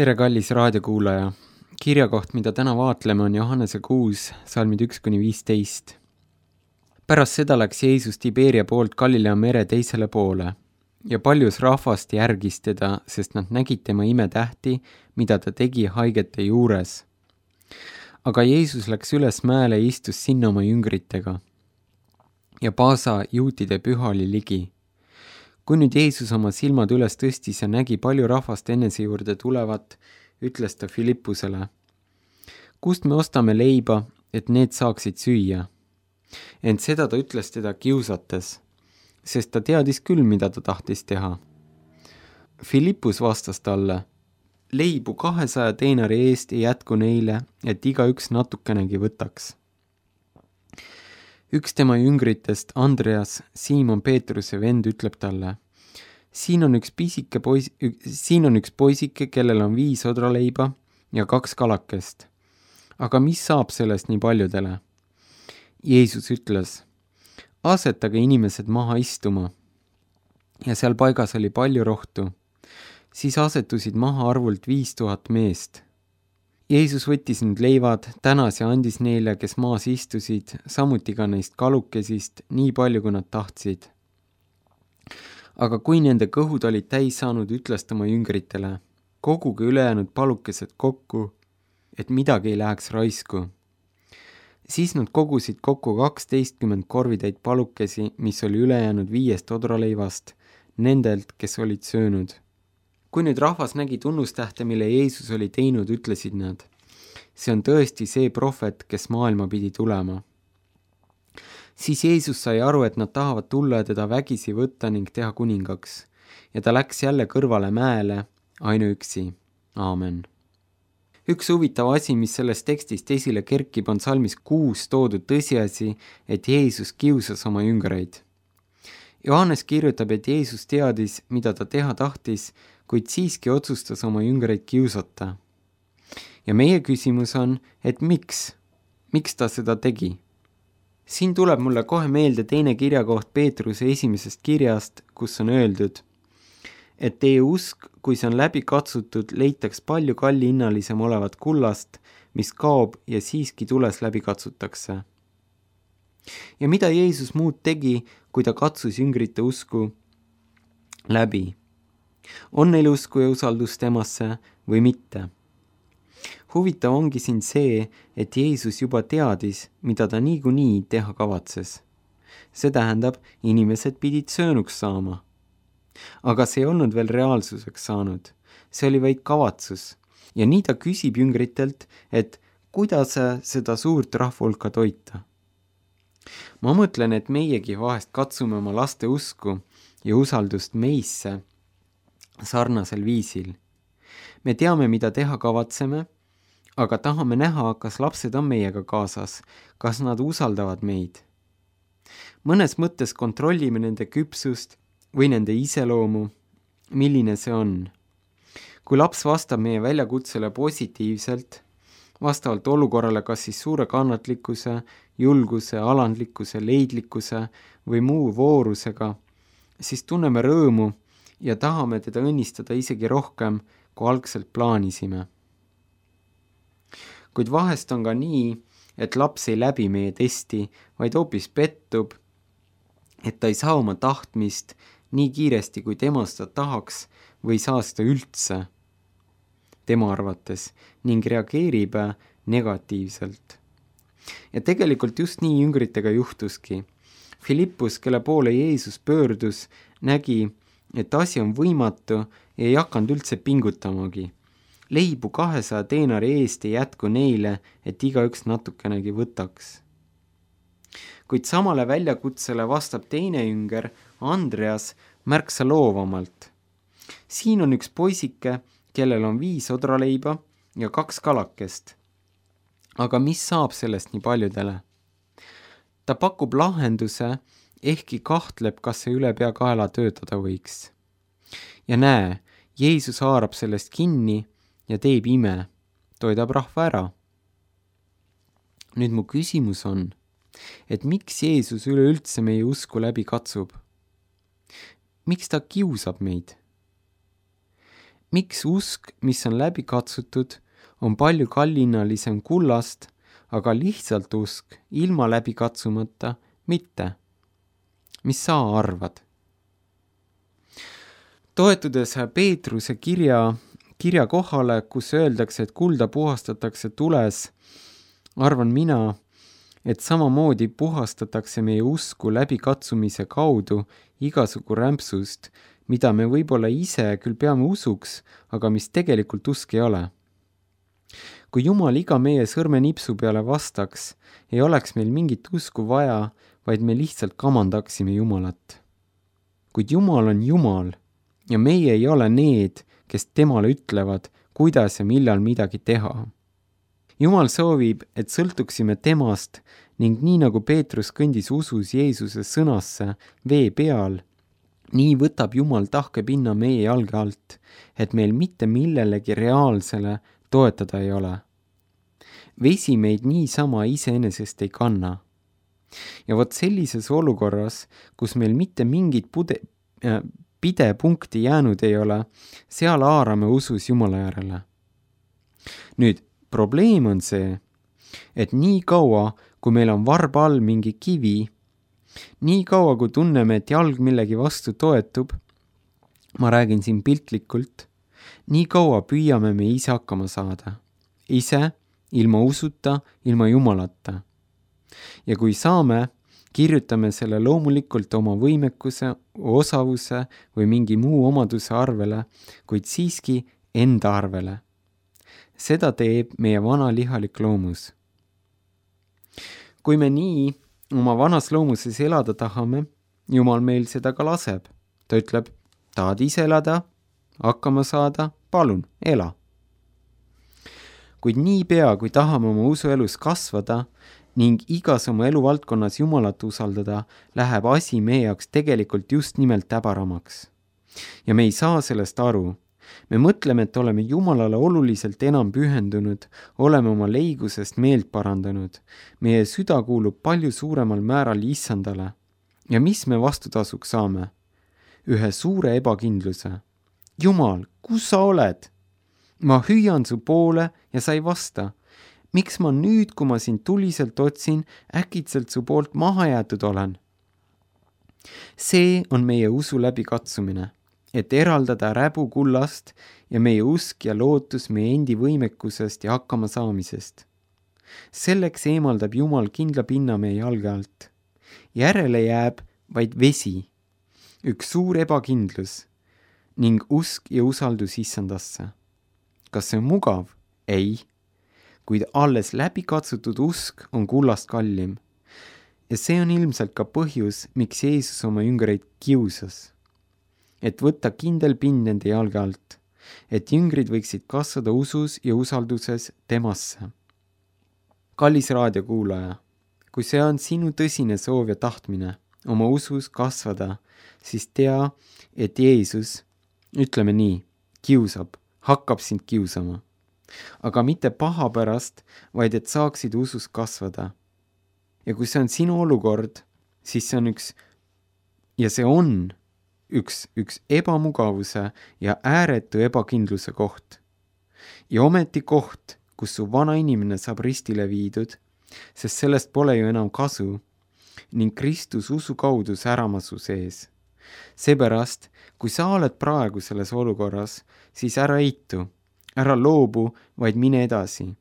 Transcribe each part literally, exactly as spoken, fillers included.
tere, kallis raadiokuulaja! Kirjakoht, mida täna vaatleme, on Johannese kuus, salmid üks kuni viisteist. Pärast seda läks Jeesus Tiberia poolt Galilea mere teisele poole ja paljus rahvast järgis teda, sest nad nägid tema imetähti, mida ta tegi haigete juures. Aga Jeesus läks üles mäele ja istus sinna oma jüngritega. Ja Paasa juutide püha oli ligi. Kui nüüd Jeesus oma silmad üles tõstis ja nägi palju rahvast enese juurde tulevat, ütles ta Filippusele: kust me ostame leiba, et need saaksid süüa? Ent seda ta ütles teda kiusates, sest ta teadis küll, mida ta tahtis teha. Filippus vastas talle: leibu kahesaja teenari eest ei jätku neile, et igaüks natukenegi võtaks. Üks tema jüngritest, Andreas, Siimon Peetruse vend, ütleb talle: siin on üks pisike pois, siin on üks poisike, kellel on viis odraleiba ja kaks kalakest. Aga mis saab sellest nii paljudele? Jeesus ütles: asetage inimesed maha istuma. Ja seal paigas oli palju rohtu. Siis asetusid maha arvult viis tuhat meest. Jeesus võttis nüüd leivad, tänas ja andis neile, kes maas istusid, samuti ka neist kalukesist, nii palju, kui nad tahtsid. Aga kui nende kõhud olid täis saanud, ütles ta oma jüngritele: koguge ülejäänud palukesed kokku, et midagi ei läheks raisku. Siis nad kogusid kokku kaksteistkümmend korvitäit palukesi, mis oli ülejäänud viiest odraleivast, nendelt, kes olid söönud. Kui nüüd rahvas nägi tunnustähte, mille Jeesus oli teinud, ütlesid nad: see on tõesti see prohvet, kes maailma pidi tulema. Siis Jeesus sai aru, et nad tahavad tulla ja teda vägisi võtta ning teha kuningaks, ja ta läks jälle kõrvale mäele, ainuüksi. Aamen. Üks huvitav asi, mis sellest tekstist esile kerkib, on salmis kuus toodud tõsiasi, et Jeesus kiusas oma jüngreid. Johannes kirjutab, et Jeesus teadis, mida ta teha tahtis, kuid siiski otsustas oma jüngreid kiusata. Ja meie küsimus on, et miks? Miks ta seda tegi? Siin tuleb mulle kohe meelde teine kirjakoht Peetruse esimesest kirjast, kus on öeldud, et teie usk, kui see on läbi katsutud, leitaks palju kallihinnalisem olevat kullast, mis kaob ja siiski tules läbi katsutakse. Ja mida Jeesus muud tegi, kui ta katsus jüngrite usku läbi? On neil usku ja usaldus temasse või mitte? Huvitav ongi siin see, et Jeesus juba teadis, mida ta niikuinii teha kavatses. See tähendab, inimesed pidid söönuks saama. Aga see ei olnud veel reaalsuseks saanud. See oli vaid kavatsus. Ja nii ta küsib jüngritelt, et kuidas seda suurt rahvahulka toita. Ma mõtlen, et meiegi vahest katsume oma laste usku ja usaldust meisse sarnasel viisil. Me teame, mida teha kavatseme, aga tahame näha, kas lapsed on meiega kaasas, kas nad usaldavad meid. Mõnes mõttes kontrollime nende küpsust või nende iseloomu, milline see on. Kui laps vastab meie väljakutsele positiivselt, vastavalt olukorrale kas siis suure kannatlikkuse, julguse, alandlikkuse, leidlikkuse või muu voorusega, siis tunneme rõõmu ja tahame teda õnnistada isegi rohkem, kui algselt plaanisime. Kuid vahest on ka nii, et laps ei läbi meie testi, vaid hoopis pettub, et ta ei saa oma tahtmist nii kiiresti, kui tema seda tahaks või saa seda üldse tema arvates ning reageerib negatiivselt. Ja tegelikult just nii jüngritega juhtuski. Filippus, kelle poole Jeesus pöördus, nägi, et asi on võimatu ja ei hakanud üldse pingutamagi. Leibu kahesaja teenari eest ei jätku neile, et igaüks natukenegi võtaks. Kuid samale väljakutsele vastab teine jünger, Andreas, märksa loovamalt. Siin on üks poisike, kellel on viis odraleiba ja kaks kalakest. Aga mis saab sellest nii paljudele? Ta pakub lahenduse, ehkki kahtleb, kas see üle pea kaela töötada võiks. Ja näe, Jeesus haarab sellest kinni ja teeb ime, toidab rahva ära. Nüüd mu küsimus on, et miks Jeesus üleüldse meie usku läbi katsub? Miks ta kiusab meid? miks usk, mis on läbi katsutud, on palju kallinnalisem kullast, aga lihtsalt usk, ilma läbi katsumata, mitte? Mis sa arvad? Toetudes Peetruse kirja, kirja kohale, kus öeldakse, et kulda puhastatakse tules, arvan mina, et samamoodi puhastatakse meie usku läbi katsumise kaudu igasugu rämpsust, mida me võib-olla ise küll peame usuks, aga mis tegelikult usk ei ole. Kui Jumal iga meie sõrmenipsu peale vastaks, ei oleks meil mingit usku vaja, vaid me lihtsalt kamandaksime Jumalat. Kuid Jumal on Jumal ja meie ei ole need, kes temale ütlevad, kuidas ja millal midagi teha. Jumal soovib, et sõltuksime temast ning nii nagu Peetrus kõndis usus Jeesuse sõnasse vee peal, nii võtab Jumal tahkepinna meie jalge alt, et meil mitte millelegi reaalsele toetada ei ole. Vesi meid niisama iseenesest ei kanna. Ja vot sellises olukorras, kus meil mitte mingit pude, äh, pidepunkti jäänud ei ole, seal haarame usus Jumala järele. Nüüd, probleem on see, et nii kaua, kui meil on varba all mingi kivi, nii kaua, kui tunneme, et jalg millegi vastu toetub, ma räägin siin piltlikult, nii kaua püüame me ise hakkama saada. Ise, ilma usuta, ilma Jumalata. Ja kui saame, kirjutame selle loomulikult oma võimekuse, osavuse või mingi muu omaduse arvele, kuid siiski enda arvele. Seda teeb meie vana lihalik loomus. Kui me nii oma vanas loomuses elada tahame, Jumal meil seda ka laseb. Ta ütleb, tahad ise elada, hakkama saada, palun, ela. Kuid nii pea, kui tahame oma usuelus kasvada ning igas oma eluvaldkonnas Jumalat usaldada, läheb asi meie jaoks tegelikult just nimelt täbaramaks. Ja me ei saa sellest aru. Me mõtleme, et oleme Jumalale oluliselt enam pühendunud, oleme oma leigusest meelt parandanud. Meie süda kuulub palju suuremal määral Issandale. Ja mis me vastutasuks saame? Ühe suure ebakindluse. Jumal, kus sa oled? Ma hüüan su poole ja sa ei vasta. Miks ma nüüd, kui ma sind tuliselt otsin, äkitselt su poolt maha jäetud olen? See on meie usu läbi katsumine, et eraldada räbu kullast ja meie usk ja lootus meie endi võimekusest ja hakkama saamisest. Selleks eemaldab Jumal kindla pinna meie jalge alt. Järele jääb vaid vesi, üks suur ebakindlus ning usk ja usaldus Issandasse. Kas see on mugav? Ei. Kuid alles läbi katsutud usk on kullast kallim. Ja see on ilmselt ka põhjus, miks Jeesus oma jüngreid kiusas. Et võtta kindel pind nende jalge alt, et jüngrid võiksid kasvada usus ja usalduses temasse. Kallis raadiokuulaja, kui see on sinu tõsine soov ja tahtmine oma usus kasvada, siis tea, et Jeesus, ütleme nii, kiusab, hakkab sind kiusama. Aga mitte paha pärast, vaid et saaksid usus kasvada. Ja kui see on sinu olukord, siis see on üks, ja see on üks, üks ebamugavuse ja ääretu ebakindluse koht. Ja ometi koht, kus su vana inimene saab ristile viidud, sest sellest pole ju enam kasu, ning Kristus usu kaudu särama su sees. Seepärast, kui sa oled praegu selles olukorras, siis ära eitu, ära loobu, vaid mine edasi.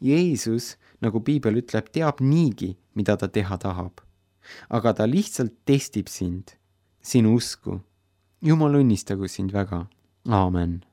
Jeesus, nagu Piibel ütleb, teab niigi, mida ta teha tahab. Aga ta lihtsalt testib sind, sinu usku. Jumal õnnistagu sind väga. Aamen.